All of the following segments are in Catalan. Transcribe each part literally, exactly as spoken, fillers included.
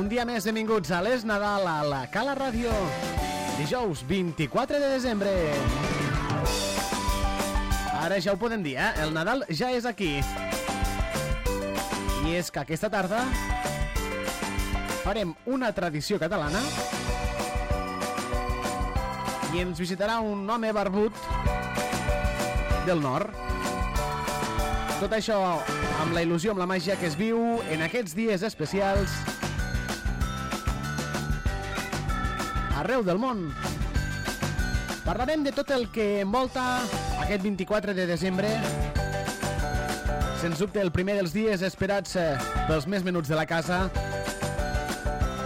un dia més, benvinguts a l'Es Nadal a la Cala Ràdio. Dijous vint-i-quatre de desembre. Ara ja ho podem dir, eh? El Nadal ja és aquí. I és que aquesta tarda farem una tradició catalana i ens visitarà un home barbut del nord. Tot això amb la il·lusió, amb la màgia que es viu en aquests dies especials arreu del món. Parlarem de tot el que envolta aquest vint-i-quatre de desembre, sens dubte el primer dels dies esperats pels més menuts de la casa,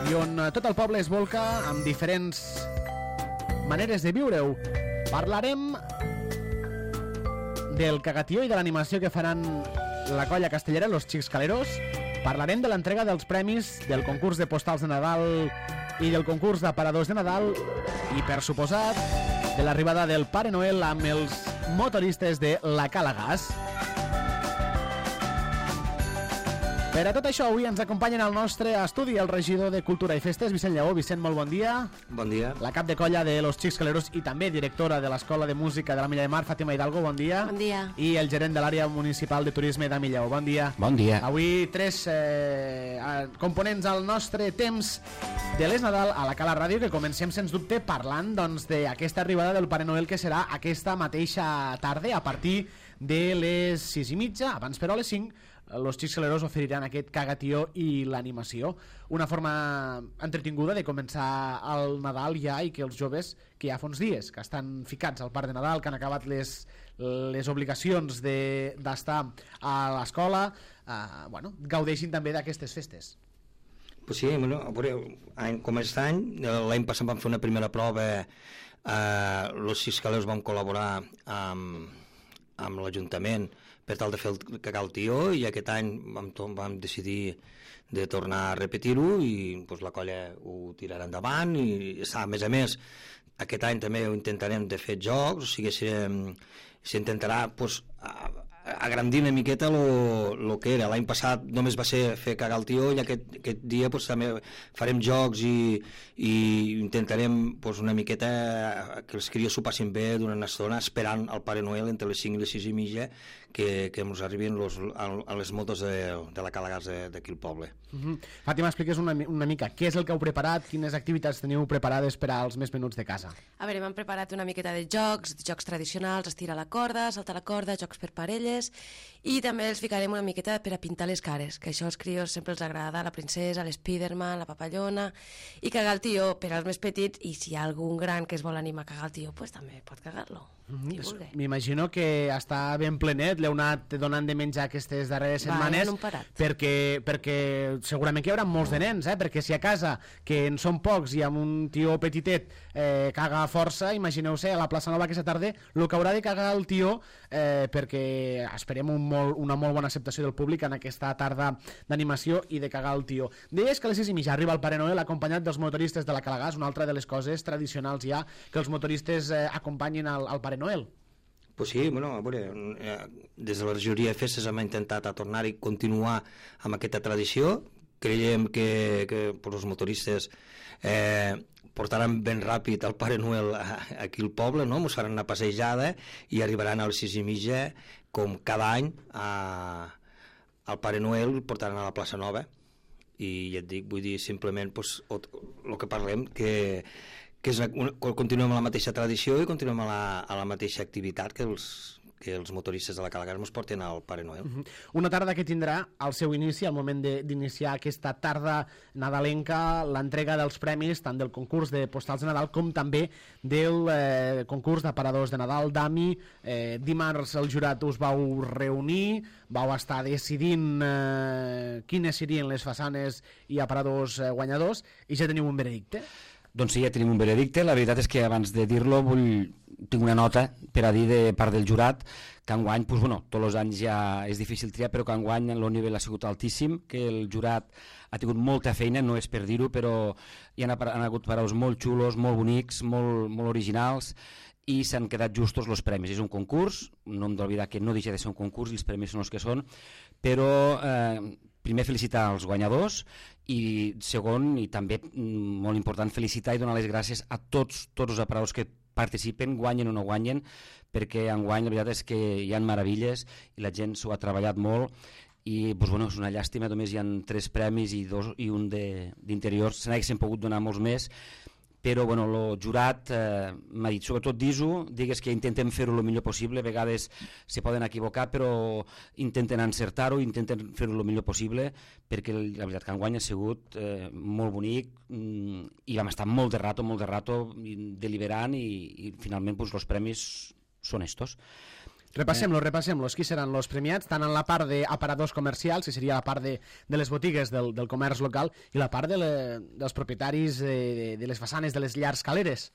i on tot el poble es volca amb diferents maneres de viure-ho. Parlarem del cagatió i de l'animació que faran la colla castellera, los Xiscaleros. Parlarem de l'entrega dels premis del concurs de postals de Nadal i del concurs d'aparadors de Nadal i, per suposat, de l'arribada del Pare Noel amb els motoristes de la Cala Gas. Per a tot això, avui ens acompanyen al nostre estudi el regidor de Cultura i Festes, Vicent Lleó. Vicent, molt bon dia. Bon dia. La cap de colla de los Xiscaleros i també directora de l'Escola de Música de la Milla de Mar, Fàtima Hidalgo, bon dia. Bon dia. I el gerent de l'àrea municipal de turisme de Milleu, bon dia. Bon dia. Avui tres eh, components al nostre temps de l'Es Nadal a la Cala Ràdio, que comencem sens dubte parlant doncs, d'aquesta arribada del Pare Noel, que serà aquesta mateixa tarda a partir de les sis i mitja, abans però a les cinc, los Xiscaleros oferiran aquest cagatió i l'animació. Una forma entretinguda de començar el Nadal ja, i que els joves, que ja fa uns dies que estan ficats al Parc de Nadal, que han acabat les, les obligacions d'estar a l'escola, eh, bueno, gaudeixin també d'aquestes festes. Pues sí, bueno, a veure, com aquest any, l'any passat vam fer una primera prova, eh, los Xiscaleros vam col·laborar amb, amb l'Ajuntament per tal de fer el cagaltió, i aquest any vam, vam decidir de tornar a repetir-ho, i pues, la colla ho tirarà endavant, i a més a més aquest any també ho intentarem de fer jocs, o sigui, s'intentarà pues, agrandir una miqueta el que era. L'any passat només va ser fer cagar el tió, i aquest, aquest dia pues, també farem jocs i, i intentarem pues, una miqueta que els crios s'ho passin bé durant una estona esperant el Pare Noel entre les cinc i les sis i mitja que, que ens arribin los, a, a les motos de, de la Cala Gas d'aquí al poble. Uh-huh. Fàtima, expliques una, una mica què és el que heu preparat, quines activitats teniu preparades per als més menuts de casa. A veure, m'han preparat una miqueta de jocs, jocs tradicionals, estirar la corda, saltar la corda, jocs per parelles, i també els ficarem una miqueta per a pintar les cares, que això als crios sempre els agrada, la princesa, l'Spiderman, la papallona, i cagar el tió per als més petits, i si hi ha algun gran que es vol animar a cagar el tió, pues també pot cagar-lo. Mm-hmm. M'imagino que està ben plenet, l'heu anat donant de menjar aquestes darreres setmanes, Va, perquè, perquè segurament que hi haurà molts de nens, eh? Perquè si a casa, que en són pocs i amb un tió petitet eh, caga força, imagineu-se a la plaça Nova aquesta tarda el que haurà de cagar el tió, eh, perquè esperem un molt, una molt bona acceptació del públic en aquesta tarda d'animació i de cagar el tió. Deies que a les sis i mitja arriba el Pare Noel acompanyat dels motoristes de la Cala Gas, una altra de les coses tradicionals ja, que els motoristes eh, acompanyin al, al Pare Noel. Pues sí, bueno, a veure, des de la regidoria de festes hem intentat a tornar i continuar amb aquesta tradició. Creiem que, que pues, els motoristes eh, portaran ben ràpid el Pare Noel aquí al poble, no? Ens faran una passejada i arribaran a les sis i mitja, com cada any, a, al Pare Noel el portaran a la plaça Nova. I ja et dic, vull dir, simplement pues, el que parlem, que que és una, continuem amb la mateixa tradició i continuem a la, a la mateixa activitat que els, que els motoristes de la Cala Gas ens porten al Pare Noel. Uh-huh. Una tarda que tindrà al seu inici, al moment d'iniciar aquesta tarda nadalenca, l'entrega dels premis, tant del concurs de postals de Nadal com també del eh, concurs d'aparadors de Nadal d'A M I. Eh, dimarts el jurat us vau reunir, vau estar decidint eh, quines serien les façanes i aparadors eh, guanyadors, i ja teniu un veredicte? Doncs sí, ja tenim un veredicte. La veritat és que abans de dir-lo vull... tinc una nota per a dir de part del jurat que enguany, doncs, bueno, tots els anys ja és difícil triar, però que enguany el nivell ha sigut altíssim, que el jurat ha tingut molta feina, no és per dir-ho, però hi han, han hagut paraus molt xulos, molt bonics, molt, molt originals, i s'han quedat justos els premis. És un concurs, no hem d'oblidar que no deixa de ser un concurs i els premis són els que són, però eh, primer felicitar els guanyadors i segon, i també molt important, felicitar i donar les gràcies a tots, tots els aparadors que participen, guanyen o no guanyen, perquè enguany la veritat és que hi ha meravilles i la gent s'ho ha treballat molt i doncs, bueno, és una llàstima, només hi ha tres premis i, dos, i un d'interiors, se n'haguessin pogut donar molts més, però bueno, el jurat eh, m'ha dit, sobretot d'I S O, digues que intentem fer-ho el millor possible, a vegades se poden equivocar, però intenten encertar-ho, intenten fer-ho el millor possible, perquè la veritat que enguany ha sigut eh, molt bonic mm, i vam estar molt de rato, molt de rato deliberant i, i finalment pues, els premis són estos. Repassem-los, repassem-los. Qui seran els premiats? Tant en la part d'aparadors comercials, que seria la part de, de les botigues del, del comerç local, i la part de le, dels propietaris de, de les façanes de les llars caleres.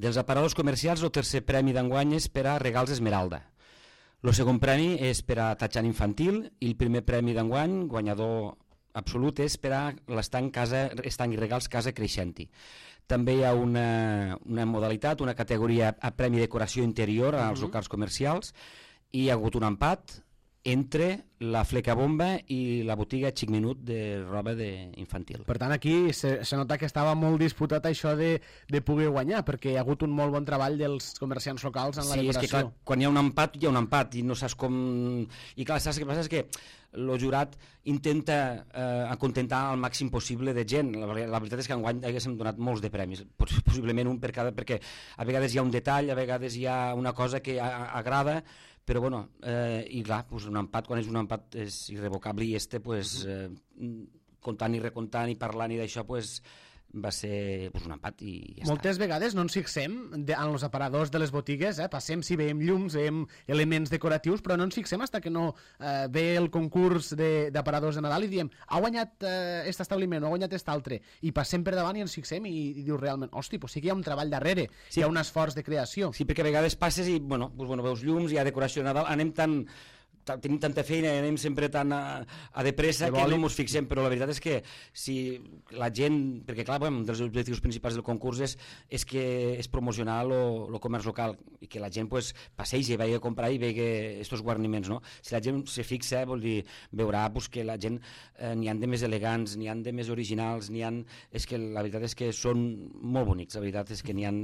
Dels aparadors comercials, el tercer premi d'enguany és per a Regals Esmeralda. El segon premi és per a Tatxan Infantil i el primer premi d'enguany, guanyador absolut, és per a l'estanc casa, estanc i regals Casa Creixenti. També hi ha una, una modalitat, una categoria a premi decoració interior als uh-huh. locals comercials, i hi ha hagut un empat entre la Flecabomba i la botiga Xic Minut de roba de infantil. Per tant, aquí se, se nota que estava molt disputat això de, de poder guanyar, perquè hi ha hagut un molt bon treball dels comerciants locals en la sí, decoració. Sí, és que clar, quan hi ha un empat, hi ha un empat, i no saps com... I clar, saps què passa? És que el jurat intenta eh, acontentar al màxim possible de gent. La, la veritat és que enguany haguéssim donat molts de premis, possiblement un per cada, perquè a vegades hi ha un detall, a vegades hi ha una cosa que a, a, agrada, però bueno, eh, i clar, pues un empat, quan és un empat és irrevocable, i este, pues, eh, comptant i recomptant i parlant i d'això, pues, va ser pues, un empat i ja Moltes està. vegades no ens fixem de, en els aparadors de les botigues, eh? Passem si veiem llums, veiem elements decoratius, però no ens fixem fins que no eh, ve el concurs d'aparadors de, de Nadal i diem, ha guanyat eh, este establiment o ha guanyat este altre, i passem per davant i ens fixem i, i dius realment, hosti, pues sí que hi ha un treball darrere, sí. Hi ha un esforç de creació. Sí, perquè a vegades passes i bueno, pues, bueno, veus llums, hi ha decoració de Nadal, anem tan... tenim tanta feina i anem sempre tan a, a de pressa que no ens fixem, però la veritat és que si la gent, perquè clar, un dels objectius principals del concurs és, és que és promocionar el comerç local i que la gent pues, passegi, vagi a comprar i vegi aquests guarniments, no? Si la gent se fixa, vol dir, veurà pues, que la gent eh, n'hi ha de més elegants, n'hi ha de més originals, n'hi ha... És que la veritat és que són molt bonics, la veritat és que n'hi ha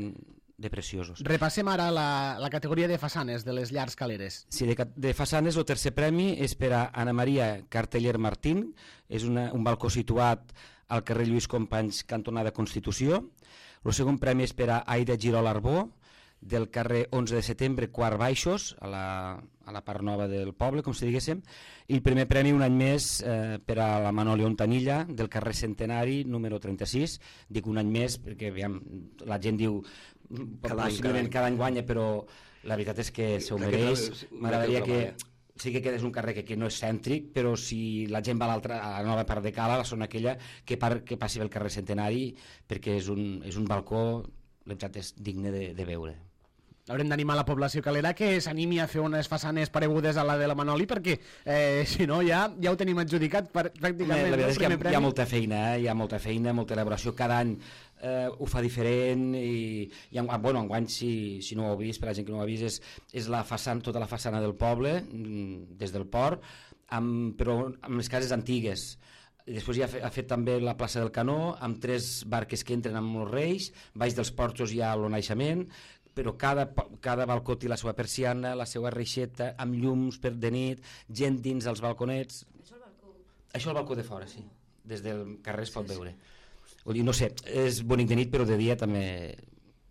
de preciosos. Repassem ara la, la categoria de façanes de les llars caleres. Sí, de, de façanes el tercer premi és per a Ana Maria Carteller Martín, és una, un balcó situat al carrer Lluís Companys, cantonada Constitució. El segon premi és per a Aida Girol Arbó, del carrer onze de setembre, quart baixos, a la, a la part nova del poble, com si diguéssim, i el primer premi un any més eh, per a la Manoli Ontanilla, del carrer Centenari, número trenta-sis. Dic un any més perquè aviam, la gent diu cada any, cada any. cada any guanya, però la veritat és que s'ho mereix. M'agradaria que sí que quedés un carrer que, que no és cèntric, però si la gent va a l'altra, a la nova part de Cala, la zona aquella, que, par, que passi pel carrer Centenari, perquè és un, és un balcó, la veritat és digne de, de veure. Haurem d'animar la població calera que s'animi a fer unes façanes paregudes a la de la Manoli, perquè eh, si no ja, ja ho tenim adjudicat per, pràcticament. La veritat és que hi ha, hi ha molta feina, eh? hi ha molta feina, molta elaboració, cada any eh, ho fa diferent i, i en, bueno, enguany si, si no ho heu vist, per la gent que no ho ha vist, és, és la façana, tota la façana del poble, des del port, amb, però amb les cases antigues. I després ja ha fet, ha fet també la plaça del Canó, amb tres barques que entren amb els Reis, baix dels porxos hi ha el naixement, però cada, cada balcó té la seva persiana, la seva reixeta, amb llums per de nit, gent dins els balconets. Això el balcó? Això el balcó de fora, sí. Des del carrer es pot sí, veure. Sí. Vull dir, no sé, és bonic de nit, però de dia també...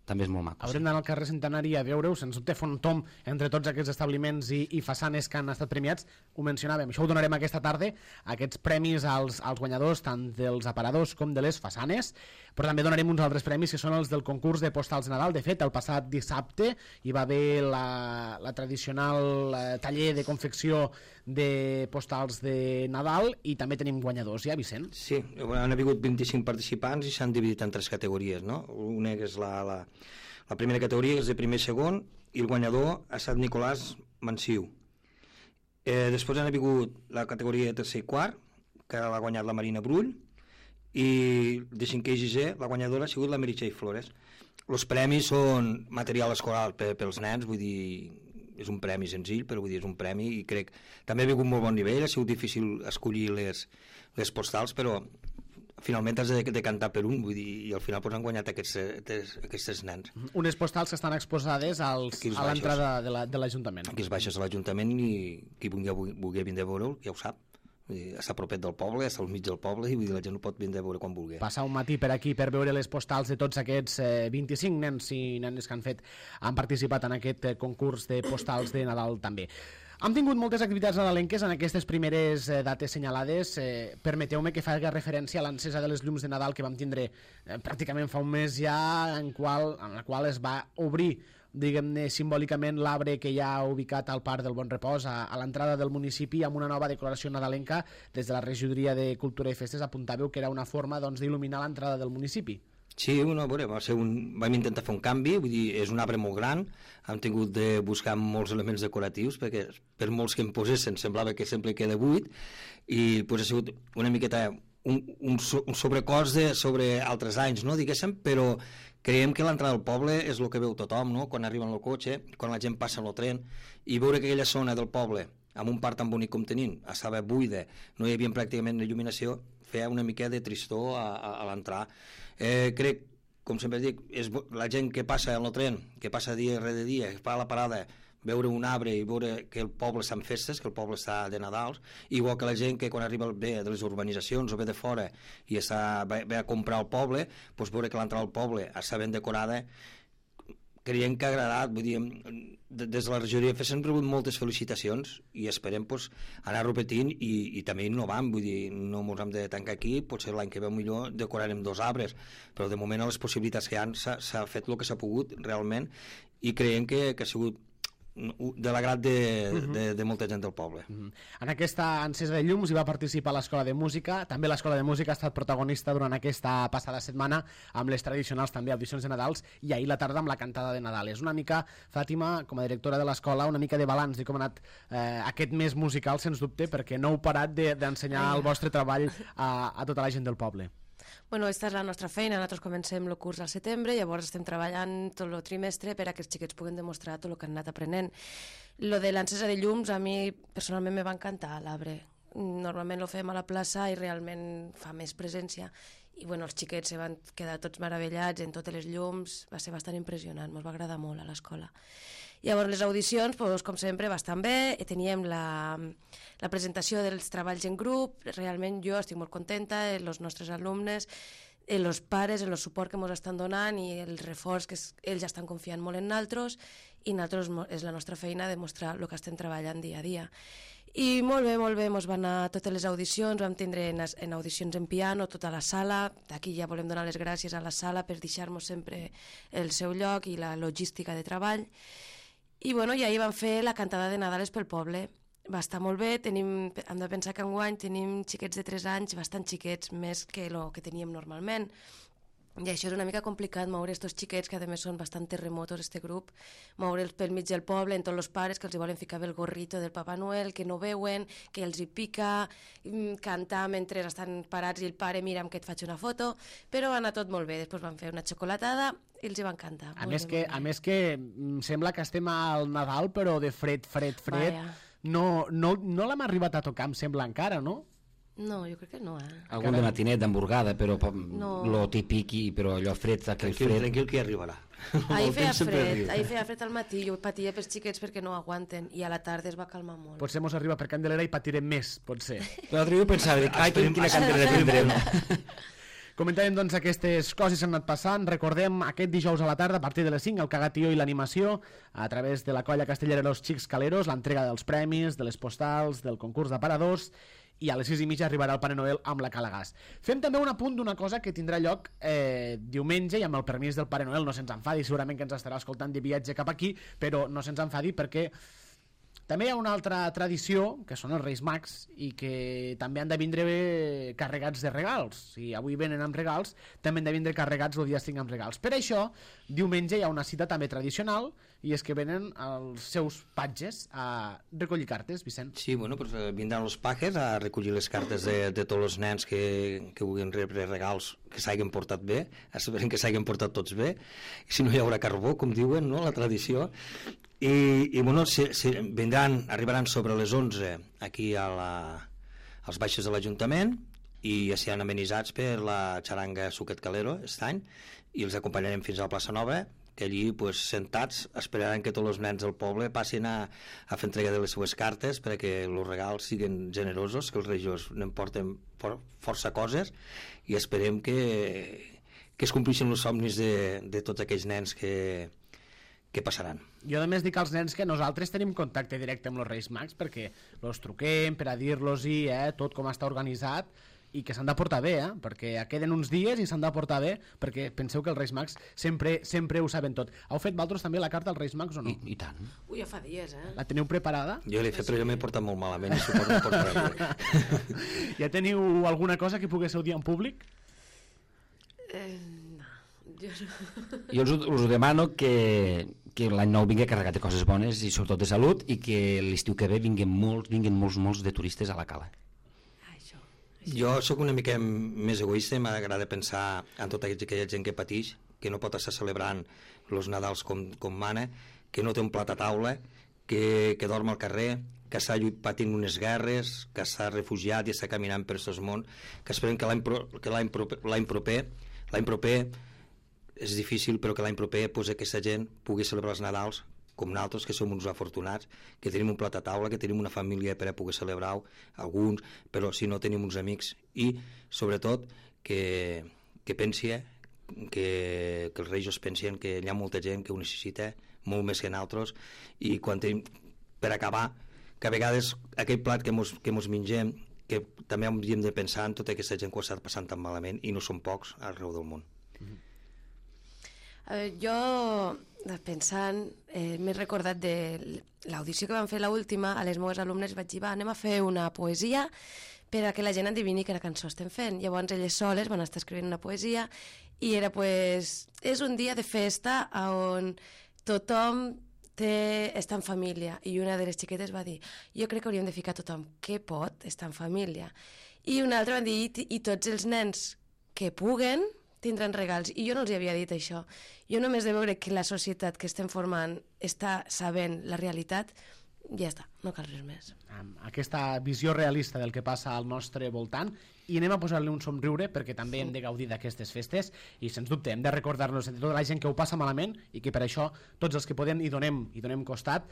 també és molt maco. Haurem d'anar al carrer Centenari a veure-ho, sens dubte fer un tom entre tots aquests establiments i, i façanes que han estat premiats, ho mencionàvem, això ho donarem aquesta tarda, aquests premis als, als guanyadors tant dels aparadors com de les façanes, però també donarem uns altres premis que són els del concurs de postals de Nadal. De fet, el passat dissabte hi va haver la, la tradicional eh, taller de confecció de postals de Nadal i també tenim guanyadors, ja, Vicent? Sí, han hagut vint-i-cinc participants i s'han dividit en tres categories, no? Una que és la, la, la primera categoria, que és de primer i segon, i el guanyador ha estat Nicolàs Mansiu. Eh, després han hagut la categoria de tercer i quart, que l'ha guanyat la Marina Brull, i de cinquè i sisè la guanyadora ha sigut la Meritxell Flores. Els premis són material escolar per, pels nens, vull dir, és un premi senzill, però vull dir, és un premi i crec, també ha vingut molt bon nivell, ha sigut difícil escollir les, les postals, però finalment has de, de cantar per un, vull dir, i al final pues, han guanyat aquests, aquests nens. Unes postals que estan exposades als, a l'entrada de l'Ajuntament. Aquí es baixes a l'Ajuntament i qui vulgui, vulgui vindre a veure ja ho sap. Està propet del poble, està al mig del poble i vull dir, la gent ho pot vindre a veure quan vulgui. Passar un matí per aquí per veure les postals de tots aquests eh, vint-i-cinc nens i nenes que han fet, han participat en aquest eh, concurs de postals de Nadal també. Hem tingut moltes activitats nadalenques en aquestes primeres eh, dates senyalades. Eh, Permeteu-me que faci referència a l'encesa de les llums de Nadal que vam tindre eh, pràcticament fa un mes ja, en, qual, en la qual es va obrir diguem-ne simbòlicament l'arbre que hi ha ubicat al Parc del Bon Repòs a, a l'entrada del municipi amb una nova decoració nadalenca. Des de la Regidoria de Cultura i Festes apuntàveu que era una forma doncs, d'il·luminar l'entrada del municipi. Sí, bueno, veure, va ser un, vam intentar fer un canvi, vull dir, és un arbre molt gran, hem tingut de buscar molts elements decoratius perquè per molts que em posessin semblava que sempre queda buit i pues, ha sigut una miqueta un, un, un sobrecost de, sobre altres anys, no, diguéssim, però creiem que l'entrada del poble és el que veu tothom, no? Quan arriben al cotxe, quan la gent passa el tren, i veure que aquella zona del poble, amb un parc tan bonic com tenim, estava buida, no hi havia pràcticament il·luminació, feia una mica de tristor a, a, a l'entrar. Eh, crec, com sempre dic, és la gent que passa en el tren, que passa dia rere dia, que fa la parada, veure un arbre i veure que el poble està en festes, que el poble està de Nadals, igual que la gent que quan arriba ve de les urbanitzacions o ve de fora i està, ve, ve a comprar al poble, doncs veure que l'entrada al poble està ben decorada, creiem que ha agradat, vull dir, des de la regidoria de festes hem rebut moltes felicitacions i esperem doncs, anar repetint i, i també innovant, vull dir, no ens hem de tancar aquí, potser l'any que ve millor decorarem dos arbres, però de moment a les possibilitats que hi ha s'ha fet el que s'ha pogut realment i creiem que, que ha sigut de l'agrat de, uh-huh. de, de molta gent del poble. Uh-huh. En aquesta encesa de llums hi va participar l'Escola de Música, també l'Escola de Música ha estat protagonista durant aquesta passada setmana amb les tradicionals també audicions de Nadals i ahir la tarda amb la cantada de Nadal. És una mica, Fàtima, com a directora de l'escola, una mica de balanç de com ha anat eh, aquest mes musical, sens dubte, perquè no heu parat d'ensenyar de, el vostre treball a, a tota la gent del poble. Bueno, aquesta és la nostra feina, nosaltres comencem el curs al setembre, llavors estem treballant tot el trimestre per a que els xiquets puguen demostrar tot el que han anat aprenent. Lo de l'encesa de llums a mi personalment me va encantar, l'arbre. Normalment lo fem a la plaça i realment fa més presència i bueno, els xiquets se van quedar tots meravellats en totes les llums, va ser bastant impressionant, ens va agradar molt a l'escola. Llavors les audicions, doncs, com sempre, bastant bé, teníem la, la presentació dels treballs en grup, realment jo estic molt contenta, els nostres alumnes, els pares, el suport que ens estan donant i el reforç que es, ells estan confiant molt en nosaltres i nosaltres és la nostra feina demostrar el que estem treballant dia a dia. I molt bé, molt bé, ens van anar totes les audicions, vam tindre en, en audicions en piano tota la sala, d'aquí ja volem donar les gràcies a la sala per deixar-nos sempre el seu lloc i la logística de treball. I bueno, i ahir vam fer la cantada de Nadales pel poble. Va estar molt bé, tenim, hem de pensar que enguany tenim xiquets de tres anys, bastant xiquets, més que el que teníem normalment. I això és una mica complicat, moure aquests xiquets, que a més són bastant terremotos, este grup, moure'ls pel mig del poble, en tots els pares que els volen ficar el gorrito del Papa Noel, que no veuen, que els hi pica, cantar mentre estan parats i el pare mira que et faig una foto, però va anar tot molt bé. Després van fer una xocolatada i els hi va encantar. A més, que, a més que sembla que estem al Nadal, però de fred, fred, fred. Vaya. No, no, no l'hem arribat a tocar, em sembla encara, no? No, jo crec que no, eh? Algun de matinet, d'hamburgada, però no. Lo típic, i, però allò fred, aquell tranquil, fred... Tranquil, que arribarà. Ahir feia fred, ahir feia fred al matí, jo patia pels xiquets perquè no aguanten, i a la tarda es va calmar molt. Potser mos arriba per Candelera i patirem més, potser. L'altre dia pensava, ai, quina Candelera tindrem. Comentàvem doncs aquestes coses que han anat passant. Recordem aquest dijous a la tarda a partir de les cinc el Cagatió i l'animació a través de la colla castellera Los Xics Caleros, l'entrega dels premis, de les postals, del concurs d'aparadors, i a les sis i mitja arribarà el Pare Noel amb la Calagàs. Fem també un apunt d'una cosa que tindrà lloc eh, diumenge, i amb el permís del Pare Noel no se'ns enfadi, segurament que ens estarà escoltant de viatge cap aquí, però no se'ns enfadi perquè també hi ha una altra tradició, que són els Reis Mags, i que també han de vindre carregats de regals. Si avui venen amb regals, també han de vindre carregats el dia cinc amb regals. Per això, diumenge hi ha una cita també tradicional, i és que venen els seus patges a recollir cartes, Vicent. Sí, bueno, pues, vindran els pajes a recollir les cartes de, de tots els nens que, que vulguin rebre regals que s'hagin portat bé, esperem que s'hagin portat tots bé, i si no hi haurà carbó, com diuen, no?, la tradició. I, i bueno, si, si vindran, arribaran sobre les onze aquí a la, als baixos de l'Ajuntament, i seran amenitzats per la xaranga Suquet Calero aquest any, i els acompanyarem fins a la plaça Nova, que allí, pues, sentats, esperaran que tots els nens del poble passin a, a fer entrega de les seues cartes perquè els regals siguin generosos, que els Reis n'emporten for, força coses, i esperem que, que es complixin els somnis de, de tots aquells nens que, que passaran. Jo a més dic als nens que nosaltres tenim contacte directe amb els Reis Mags perquè els truquem per a dir-los-hi eh, tot com està organitzat, i que s'han de portar bé, eh? Perquè queden uns dies i s'han de portar bé, perquè penseu que els Reis Mags sempre, sempre ho saben tot. Heu fet vosaltres també la carta als Reis Mags o no? I, i tant. Ui, ja fa dies, eh? La teniu preparada? Jo l'he fet, però jo m'he portat molt malament, i suposo que portarà bé. Ja teniu alguna cosa que poguéssiu dir en públic? Eh, no, jo no. Jo us, us demano que, que l'any nou vingui carregat de coses bones i sobretot de salut, i que l'estiu que ve vinguin molts, vinguin molts, molts de turistes a la cala. Jo sóc una mica més egoista i m'agrada pensar en tota aquella gent que pateix, que no pot estar celebrant els Nadals com, com mana, que no té un plat a taula, que, que dorm al carrer, que està patint unes guerres, que està refugiat i està caminant per aquest món, que esperem que l'any pro, que l'any proper, l'any proper, l'any proper és difícil, però que l'any proper pues, aquesta gent pugui celebrar els Nadals com nosaltres, que som uns afortunats, que tenim un plat a taula, que tenim una família per a poder celebrar alguns, però si no tenim uns amics, i sobretot que, que pensi que, que els Reis pensen que hi ha molta gent que ho necessita molt més que nosaltres, i quan tenim, per acabar, que a vegades aquell plat que mos, que mos mengem, que també hauríem de pensar en tota aquesta gent que ho està passant tan malament, i no són pocs arreu del món. Mm-hmm. A veure, jo, pensant, eh, m'he recordat de l'audició que vam fer l'última, a les meves alumnes vaig dir, va, anem a fer una poesia per a que la gent endevini quina cançó estem fent. Llavors elles soles van estar escrivint una poesia i era, pues, és un dia de festa on tothom té, està en família, i una de les xiquetes va dir, jo crec que hauríem de ficar tothom que pot estar en família, i una altra van dir, i, i tots els nens que puguen tindran regals, i jo no els havia dit això. Jo només de veure que la societat que estem formant està sabent la realitat, ja està, no cal res més. Aquesta visió realista del que passa al nostre voltant, i anem a posar-li un somriure perquè també hem de gaudir d'aquestes festes, i sens dubte hem de recordar-nos de tota la gent que ho passa malament, i que per això tots els que podem hi donem, hi donem costat.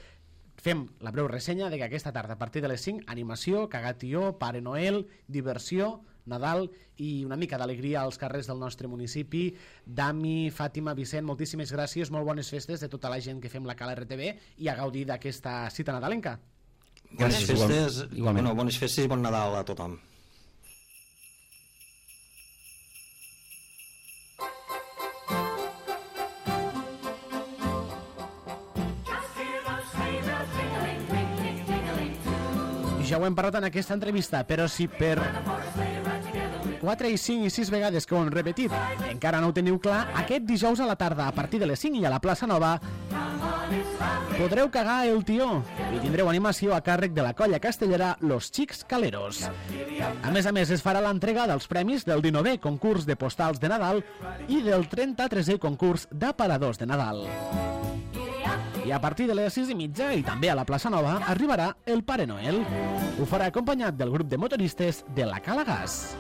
Fem la breu ressenya de que aquesta tarda a partir de les cinc, animació, cagatió, Pare Noel, diversió, Nadal i una mica d'alegria als carrers del nostre municipi. Dami, Fàtima, Vicent, moltíssimes gràcies, molt bones festes de tota la gent que fem la Cala R T V i a gaudir d'aquesta cita nadalenca. Bones festes, igualment. Bueno, bones festes i bon Nadal a tothom. Ja ho hem parlat en aquesta entrevista, però si per quatre i cinc i sis vegades que ho hem repetit encara no ho teniu clar, aquest dijous a la tarda a partir de les cinc i a la plaça Nova podreu cagar el tió i tindreu animació a càrrec de la colla castellera Los Xics Caleros. A més a més es farà l'entrega dels premis del dinovè concurs de postals de Nadal i del trenta-tresè concurs d'aparadors de Nadal. I a partir de les sis i mitja i també a la plaça Nova arribarà el Pare Noel. Ho farà acompanyat del grup de motoristes de la Cala Gas.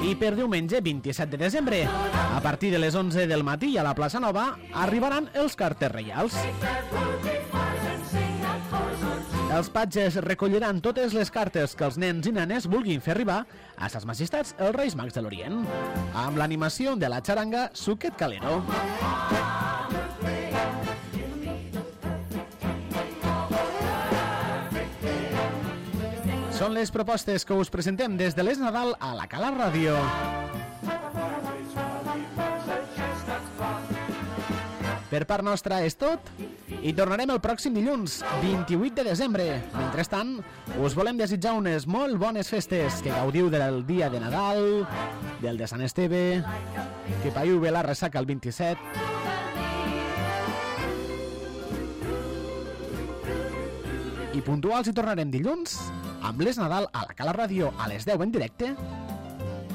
I per diumenge vint-i-set de desembre, a partir de les onze del matí a la plaça Nova, arribaran els carters reials. Els patges recolliran totes les cartes que els nens i nenes vulguin fer arribar a ses majestats els Reis Mags de l'Orient, amb l'animació de la xaranga Suquet Calero. Són les propostes que us presentem des de l'Es Nadal a la Cala Ràdio. Per part nostra és tot i tornarem el pròxim dilluns, vint-i-vuit de desembre. Mentrestant, us volem desitjar unes molt bones festes, que gaudiu del dia de Nadal, del de Sant Esteve, que païu bé la ressaca el vint-i-set. I puntuals hi tornarem dilluns amb l'Es Nadal a la Cala Ràdio a les deu en directe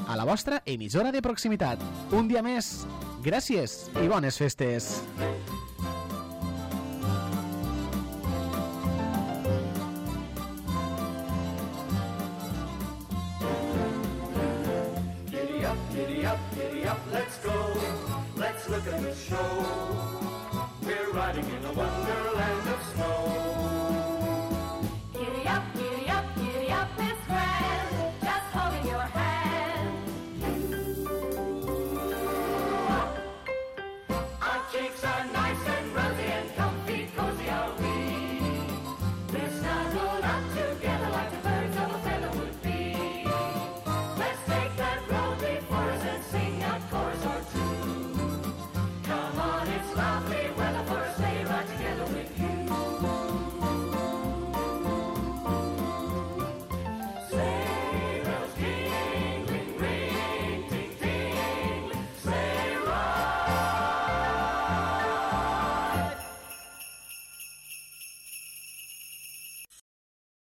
a la vostra emissora de proximitat. Un dia més, gràcies i bones festes. let's go, let's look at the show. We're riding in a wonderland of snow. Giddy up, giddy up, giddy up, it's grand, just holding your hand. Our cheeks are